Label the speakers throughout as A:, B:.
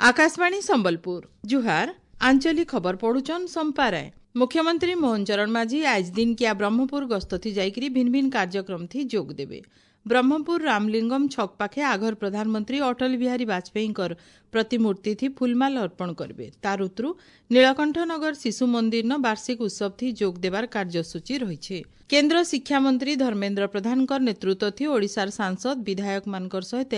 A: ଆକାଶବାଣୀ ସମ୍ବଲପୁର, ଜୁହାର। ଆଞ୍ଚଳିକ ଖବର ପଢୁଛନ୍ ସମ୍ପା ରାୟ। ମୁଖ୍ୟମନ୍ତ୍ରୀ ମୋହନ ଚରଣ ମାଝୀ ଆଜ ଦିନକିଆ ବ୍ରହ୍ମପୁର ଗସ୍ତ ଥି ଯାଇକରି ଭିନ୍ନ ଭିନ୍ନ କାର୍ଯ୍ୟକ୍ରମ ଥି ଯୋଗ ଦେବେ। ବ୍ରହ୍ମପୁର ରାମଲିଙ୍ଗମ ଛକ ପାଖେ ଆଘର ପ୍ରଧାନମନ୍ତ୍ରୀ ଅଟଳ ବିହାରୀ ବାଜପେୟୀଙ୍କର ପ୍ରତିମୂର୍ତ୍ତି ଥି ଫୁଲମାଲ ଅର୍ପଣ କରିବେ। ତାର ଉତରୁ ନୀଳକଣ୍ଠନଗର ଶିଶୁ ମନ୍ଦିରନ ବାର୍ଷିକ ଉତ୍ସବ ଥି ଯୋଗ ଦେବାର କାର୍ଯ୍ୟସୂଚୀ ରହିଛି। କେନ୍ଦ୍ର ଶିକ୍ଷାମନ୍ତ୍ରୀ ଧର୍ମେନ୍ଦ୍ର ପ୍ରଧାନଙ୍କର ନେତୃତ୍ୱ ଥି ଓଡ଼ିଶାର ସାଂସଦ ବିଧାୟକମାନଙ୍କର ସହିତ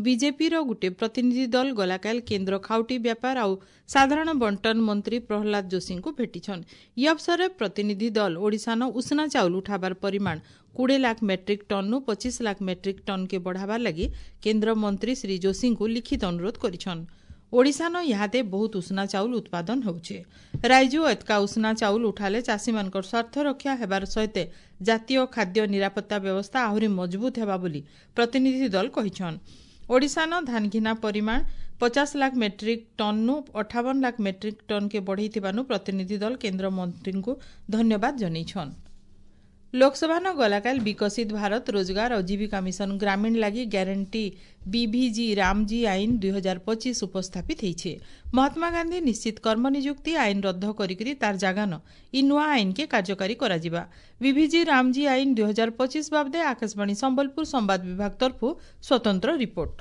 A: ବିଜେପିର ଗୋଟିଏ ପ୍ରତିନିଧି ଦଳ ଗଲାକାଲ କେନ୍ଦ୍ର ଖାଉଟି ବ୍ୟାପାର ଆଉ ସାଧାରଣ ବଣ୍ଟନ ମନ୍ତ୍ରୀ ପ୍ରହ୍ଲାଦ ଯୋଶୀଙ୍କୁ ଭେଟିଛନ୍। ଇ ଅବସରରେ ପ୍ରତିନିଧି ଦଳ ଓଡ଼ିଶାନ ଉଷୁନା ଚାଉଳ ଉଠାବାର ପରିମାଣ 20 ଲାଖ ମେଟ୍ରିକ୍ ଟନ୍ରୁ 25 ଲାଖ ମେଟ୍ରିକ୍ ଟନ୍କେ ବଢ଼ାବାର ଲାଗି କେନ୍ଦ୍ର ମନ୍ତ୍ରୀ ଶ୍ରୀ ଯୋଶୀଙ୍କୁ ଲିଖିତ ଅନୁରୋଧ କରିଛନ୍। ଓଡ଼ିଶାନ ଇହାଦେ ବହୁତ ଉଷୁନା ଚାଉଳ ଉତ୍ପାଦନ ହେଉଛେ। ରାଇଜୁ ଏତକା ଉଷୁନା ଚାଉଳ ଉଠାଲେ ଚାଷୀମାନଙ୍କର ସ୍ୱାର୍ଥ ରକ୍ଷା ହେବାର ସହିତ ଜାତୀୟ ଖାଦ୍ୟ ନିରାପତ୍ତା ବ୍ୟବସ୍ଥା ଆହୁରି ମଜବୁତ ହେବା ବୋଲି ପ୍ରତିନିଧି ଦଳ କହିଛନ୍। ଓଡ଼ିଶାନ ଧାନଘିନା ପରିମାଣ 50 ଲାଖ ମେଟ୍ରିକ୍ ଟନ୍ରୁ 58 ଲାଖ ମେଟ୍ରିକ୍ ଟନ୍କେ ବଢ଼େଇଥିବାରୁ ପ୍ରତିନିଧି ଦଳ କେନ୍ଦ୍ର ମନ୍ତ୍ରୀଙ୍କୁ ଧନ୍ୟବାଦ ଜଣାଇଛନ୍। ଲୋକସଭାନ ଗଲାକାଲ ବିକଶିତ ଭାରତ ରୋଜଗାର ଆଉ ଜୀବିକା ମିଶନ ଗ୍ରାମୀଣ ଲାଗି ଗ୍ୟାରେଣ୍ଟି বিভিଜି ରାମଜୀ ଆଇନ 2025 ଉପସ୍ଥାପିତ ହେଇଛେ। ମହାତ୍ମା ଗାନ୍ଧୀ ନିଶ୍ଚିତ କର୍ମ ନିଯୁକ୍ତି ଆଇନ ରଦ୍ଦ କରିକିରି ତାର ଜାଗାନ ଇ ନୂଆ ଆଇନକେ କାର୍ଯ୍ୟକାରୀ କରାଯିବା। বিভিଜି ରାମଜୀ ଆଇନ 2025 ବାବଦେ ଆକାଶବାଣୀ ସମ୍ବଲପୁର ସମ୍ବାଦ ବିଭାଗ ତରଫରୁ ସ୍ୱତନ୍ତ୍ର ରିପୋର୍ଟ।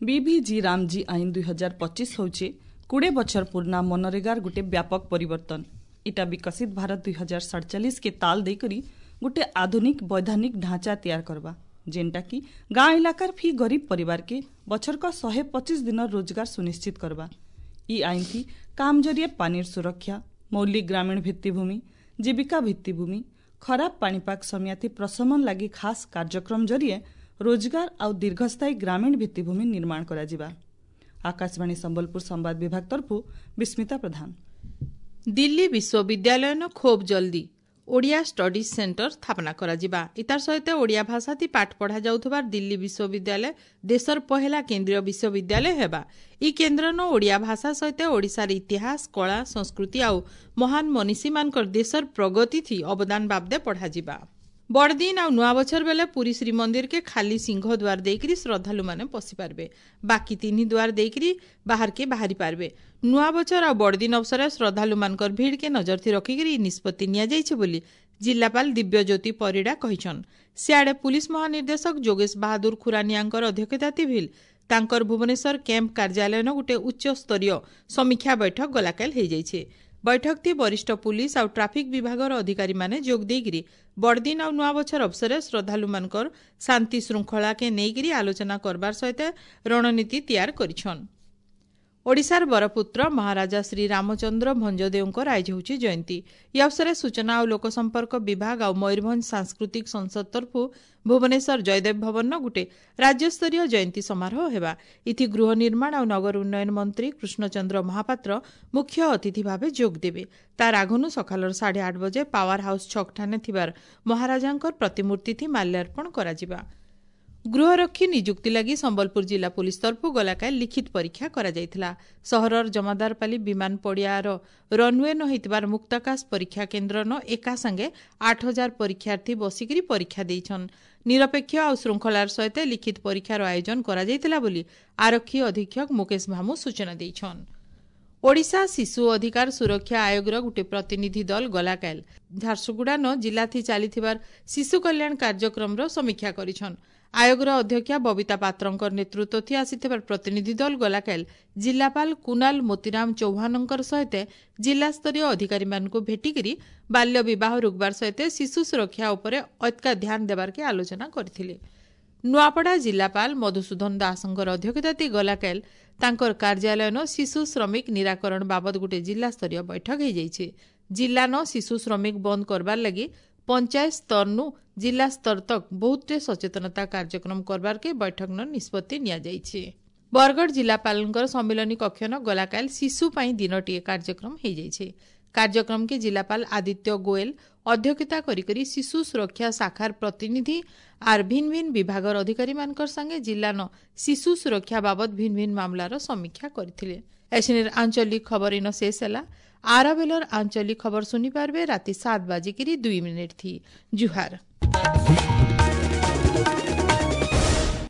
B: বিভিଜି ରାମଜୀ ଆଇନ 2025 ହେଉଛି 20 ବଛର ପୁରୁଣା ମନରେଗାର ଗୋଟେ ବ୍ୟାପକ ପରିବର୍ତ୍ତନ। ଇଟା ବିକଶିତ ଭାରତ 2047 କେ ତାଲ ଦେଇକରି ଗୋଟେ ଆଧୁନିକ ବୈଧାନିକ ଢାଞ୍ଚା ତିଆର କରବା, ଯେନ୍ଟା କି ଗାଁ ଇଲାକାର ଫି ଗରିବ ପରିବାର କେ ବଛର କ 125 ଦିନର ରୋଜଗାର ସୁନିଶ୍ଚିତ କରବା। ଇ ଆଇନ ଥି କାମ ଜରିଏ ପାନିର ସୁରକ୍ଷା, ମୌଳିକ ଗ୍ରାମୀଣ ଭିତ୍ତିଭୂମି, ଜୀବିକା ଭିତ୍ତିଭୂମି, ଖରାପ ପାଣିପାଗ ସମିଆତି ପ୍ରଶମନ ଲାଗି ଖାସ କାର୍ଯ୍ୟକ୍ରମ ଜରିଏ ରୋଜଗାର ଆଉ ଦୀର୍ଘସ୍ଥାୟୀ ଗ୍ରାମୀଣ ଭିତ୍ତିଭୂମି ନିର୍ମାଣ କରାଯିବା। ଆକାଶବାଣୀ ସମ୍ବଲପୁର ସମ୍ବାଦ ବିଭାଗ ତରଫରୁ ବିସ୍ମିତା ପ୍ରଧାନ।
A: ଦିଲ୍ଲୀ ବିଶ୍ୱବିଦ୍ୟାଳୟନ ଖୁବ୍ ଜଲ୍ଦି ଓଡ଼ିଆ ଷ୍ଟଡିଜ୍ ସେଣ୍ଟର ସ୍ଥାପନା କରାଯିବା। ଇତାର ସହିତ ଓଡ଼ିଆ ଭାଷାଥି ପାଠ ପଢ଼ା ଯାଉଥିବାର ଦିଲ୍ଲୀ ବିଶ୍ୱବିଦ୍ୟାଳୟ ଦେଶର ପହେଲା କେନ୍ଦ୍ରୀୟ ବିଶ୍ୱବିଦ୍ୟାଳୟ ହେବା। ଇ କେନ୍ଦ୍ରନ ଓଡ଼ିଆ ଭାଷା ସହିତ ଓଡ଼ିଶାର ଇତିହାସ, କଳା, ସଂସ୍କୃତି ଆଉ ମହାନ ମନୀଷୀମାନଙ୍କର ଦେଶର ପ୍ରଗତି ଥି ଅବଦାନ ବାବଦେ ପଢ଼ାଯିବା। ବଡ଼ଦିନ ଆଉ ନୂଆ ବଛର ବେଲେ ପୁରୀ ଶ୍ରୀମନ୍ଦିରକେ ଖାଲି ସିଂହ ଦ୍ୱାର ଦେଇକରି ଶ୍ରଦ୍ଧାଳୁମାନେ ପଶିପାରିବେ। ବାକି ତିନି ଦ୍ୱାର ଦେଇକରି ବାହାରକେ ବାହାରି ପାରବେ। ନୂଆ ବଛର ଆଉ ବଡ଼ଦିନ ଅବସରରେ ଶ୍ରଦ୍ଧାଳୁମାନଙ୍କର ଭିଡ଼କେ ନଜରଥି ରଖିକରି ଇ ନିଷ୍ପତ୍ତି ନିଆଯାଇଛି ବୋଲି ଜିଲ୍ଲାପାଳ ଦିବ୍ୟଜ୍ୟୋତି ପରିଡ଼ା କହିଛନ୍। ସିଆଡ଼େ ପୁଲିସ ମହାନିର୍ଦ୍ଦେଶକ ଯୋଗେଶ ବାହାଦୁର ଖୁରାନିଆଙ୍କର ଅଧ୍ୟକ୍ଷତା ଭିଲ୍ ତାଙ୍କର ଭୁବନେଶ୍ୱର କ୍ୟାମ୍ପ କାର୍ଯ୍ୟାଳୟନ ଗୋଟେ ଉଚ୍ଚସ୍ତରୀୟ ସମୀକ୍ଷା ବୈଠକ ଗଲାକାଲ ହେଇଯାଇଛି। ବୈଠକ ଥି ବରିଷ୍ଠ ପୁଲିସ ଆଉ ଟ୍ରାଫିକ ବିଭାଗର ଅଧିକାରୀମାନେ ଯୋଗ ଦେଇକରି ବଡ଼ଦିନ ଆଉ ନୂଆ ବଛର ଅବସରରେ ଶ୍ରଦ୍ଧାଳୁମାନଙ୍କର ଶାନ୍ତି ଶୃଙ୍ଖଳାକେ ନେଇକରି ଆଲୋଚନା କରବାର ସହିତ ରଣନୀତି ତିଆର କରିଛନ୍। ଓଡ଼ିଶାର ବରପୁତ୍ର ମହାରାଜା ଶ୍ରୀ ରାମଚନ୍ଦ୍ର ଭଞ୍ଜଦେଓଙ୍କର ଆଜି ହେଉଛି ଜୟନ୍ତୀ। ଇ ଅବସରରେ ସୂଚନା ଆଉ ଲୋକସମ୍ପର୍କ ବିଭାଗ ଆଉ ମୟୂରଭଞ୍ଜ ସାଂସ୍କୃତିକ ସଂସଦ ତରଫରୁ ଭୁବନେଶ୍ୱର ଜୟଦେବ ଭବନର ଗୋଟେ ରାଜ୍ୟସ୍ତରୀୟ ଜୟନ୍ତୀ ସମାରୋହ ହେବା। ଇଥି ଗୃହ ନିର୍ମାଣ ଆଉ ନଗର ଉନ୍ନୟନ ମନ୍ତ୍ରୀ କୃଷ୍ଣଚନ୍ଦ୍ର ମହାପାତ୍ର ମୁଖ୍ୟ ଅତିଥି ଭାବେ ଯୋଗ ଦେବେ। ତାର ଆଗନୁ ସକାଳର 8:30 ବଜେ ପାୱାର ହାଉସ୍ ଛକଠାନେ ଥିବାର ମହାରାଜାଙ୍କର ପ୍ରତିମୂର୍ତ୍ତି ମାଲ୍ୟାର୍ପଣ କରାଯିବା। ଗୃହରକ୍ଷୀ ନିଯୁକ୍ତି ଲାଗି ସମ୍ବଲପୁର ଜିଲ୍ଲା ପୁଲିସ ତରଫରୁ ଗଲାକାଲି ଲିଖିତ ପରୀକ୍ଷା କରାଯାଇଥିଲା। ସହରର ଜମାଦାରପାଲି ବିମାନ ପଡ଼ିଆର ରନ୍ୱେ ନ ହୋଇଥିବାର ମୁକ୍ତାକାଶ ପରୀକ୍ଷା କେନ୍ଦ୍ରନ ଏକା ସାଙ୍ଗେ 8000 ପରୀକ୍ଷାର୍ଥୀ ବସିକରି ପରୀକ୍ଷା ଦେଇଛନ୍। ନିରପେକ୍ଷ ଆଉ ଶୃଙ୍ଖଳାର ସହିତ ଲିଖିତ ପରୀକ୍ଷାର ଆୟୋଜନ କରାଯାଇଥିଲା ବୋଲି ଆରକ୍ଷୀ ଅଧୀକ୍ଷକ ମୁକେଶ ଭାମୁ ସୂଚନା ଦେଇଛନ୍। ଓଡ଼ିଶା ଶିଶୁ ଅଧିକାର ସୁରକ୍ଷା ଆୟୋଗର ଗୋଟିଏ ପ୍ରତିନିଧି ଦଳ ଗଲାକାଲ ଝାରସୁଗୁଡ଼ା ନ ଜିଲ୍ଲାଥି ଚାଲିଥିବାର ଶିଶୁ କଲ୍ୟାଣ କାର୍ଯ୍ୟକ୍ରମର ସମୀକ୍ଷା କରିଛନ୍। ଆୟୋଗର ଅଧ୍ୟକ୍ଷା ବବିତା ପାତ୍ରଙ୍କ ନେତୃତ୍ୱ ଥି ଆସିଥିବା ପ୍ରତିନିଧି ଦଳ ଗଲାକାଲ ଜିଲ୍ଲାପାଳ କୁନାଲ ମୋତିରାମ ଚୌହାନଙ୍କର ସହିତ ଜିଲ୍ଲାସ୍ତରୀୟ ଅଧିକାରୀମାନଙ୍କୁ ଭେଟିକରି ବାଲ୍ୟ ବିବାହ ରୋକବାର ସହିତ ଶିଶୁ ସୁରକ୍ଷା ଉପରେ ଅତ୍କା ଧ୍ୟାନ ଦେବାର୍କେ ଆଲୋଚନା କରିଥିଲେ। ନୂଆପଡ଼ା ଜିଲ୍ଲାପାଳ ମଧୁସୂଦନ ଦାସଙ୍କର ଅଧ୍ୟକ୍ଷତାତି ଗଲାକାଲ ତାଙ୍କର କାର୍ଯ୍ୟାଳୟନ ଶିଶୁ ଶ୍ରମିକ ନିରାକରଣ ବାବଦ ଗୋଟିଏ ଜିଲ୍ଲାସ୍ତରୀୟ ବୈଠକ ହୋଇଯାଇଛି। ଜିଲ୍ଲାନ ଶିଶୁ ଶ୍ରମିକ ବନ୍ଦ କରବାର ଲାଗି ପଞ୍ଚାୟତ ସ୍ତରନୁ ଜିଲ୍ଲା ସ୍ତର ତକ ବହୁତଟେ ସଚେତନତା କାର୍ଯ୍ୟକ୍ରମ କରବାରକେ ବୈଠକନ ନିଷ୍ପତ୍ତି ନିଆଯାଇଛି। ବରଗଡ଼ ଜିଲ୍ଲାପାଳଙ୍କର ସମ୍ମିଳନୀ କକ୍ଷନ ଗଲାକାଲ ଶିଶୁ ପାଇଁ ଦିନଟିଏ କାର୍ଯ୍ୟକ୍ରମ ହୋଇଯାଇଛି। କାର୍ଯ୍ୟକ୍ରମକେ ଜିଲ୍ଲାପାଳ ଆଦିତ୍ୟ ଗୋଏଲ ଅଧ୍ୟକ୍ଷତା କରିକରି ଶିଶୁ ସୁରକ୍ଷା ଶାଖାର ପ୍ରତିନିଧି ଆର୍ ଭିନ୍ନ ଭିନ୍ନ ବିଭାଗର ଅଧିକାରୀମାନଙ୍କର ସାଙ୍ଗେ ଜିଲ୍ଲାନ ଶିଶୁ ସୁରକ୍ଷା ବାବଦ ଭିନ୍ନ ଭିନ୍ନ ମାମଲାର ସମୀକ୍ଷା କରିଥିଲେ। ଏସିନିର ଆଞ୍ଚଳିକ ଖବର ଇନ ଶେଷ ହେଲା। ଆର ବେଲର ଆଞ୍ଚଳିକ ଖବର ଶୁଣିପାରିବେ ରାତି 7:02 ଥି। ଜୁହାର।